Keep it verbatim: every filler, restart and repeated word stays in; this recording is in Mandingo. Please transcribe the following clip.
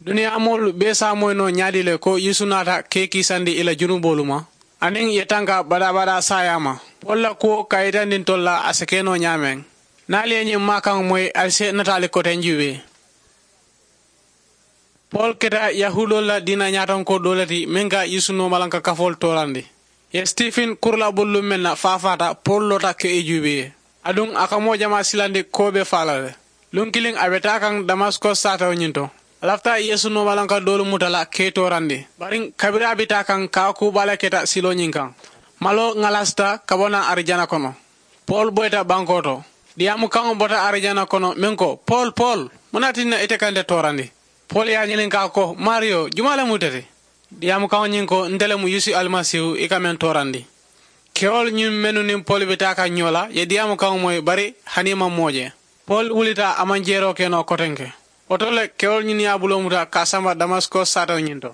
Duniyaa moolu bee se a moyi noo ñaadii le ko yeesu naata kee kiisandi ì la junuboolu ma? Aniŋ ì ye tanka badaa-badaa saayaa ma? Poolu la kuwo ka a yitandi ntolu la a si ke noo ñaameŋ. Niŋ ali ye ñiŋ maakaŋo moyi ali si nataali koteŋ juubee. Poolu keta yahuudoolu la diina ñaatonkoo doo le ti meŋ ka yeesu noomalanka kafoolu toorandi. Ì ye sitifin kuru la bululuŋ meŋ na faafaata poolu loota ke ì juubee. Aduŋ a ka moo jamaa silandi koo be faa la le. Luŋ kiliŋ a be taa kaŋ damasiko saatewo ñiŋ to. A lafita yeesu noomalanka doolu muta la ke ì toorandi. Bari kabiriŋ a be taa kaŋ ka a kuu baa le keta siloo ñiŋ kaŋ. Maloo ŋalaasita ka bo naŋ arijana kono. Poolu boyita bankoo to. Diyaamu kaŋo bota arijana kono meŋ ko, poolu poolu, muŋ ne a tinna ite ka nte toorandi? Poolu ye a ñininkaa ko, maariyo jumaa le mu ite ti? Diyaamu kaŋo ñiŋ ko, nte le mu yeesu alimasiihu i ka meŋ toorandi. Kewolu ñiŋ mennu niŋ poolu be taa kaŋ ñoo la ye diyaamu kaŋo moyi bari hani i maŋ moo je. Poolu wulita a maŋ jeeroo ke noo kotenke. Wo to le kewolu ñiŋ ye a buloo muta ka a samba damasiko saatewo ñiŋ to.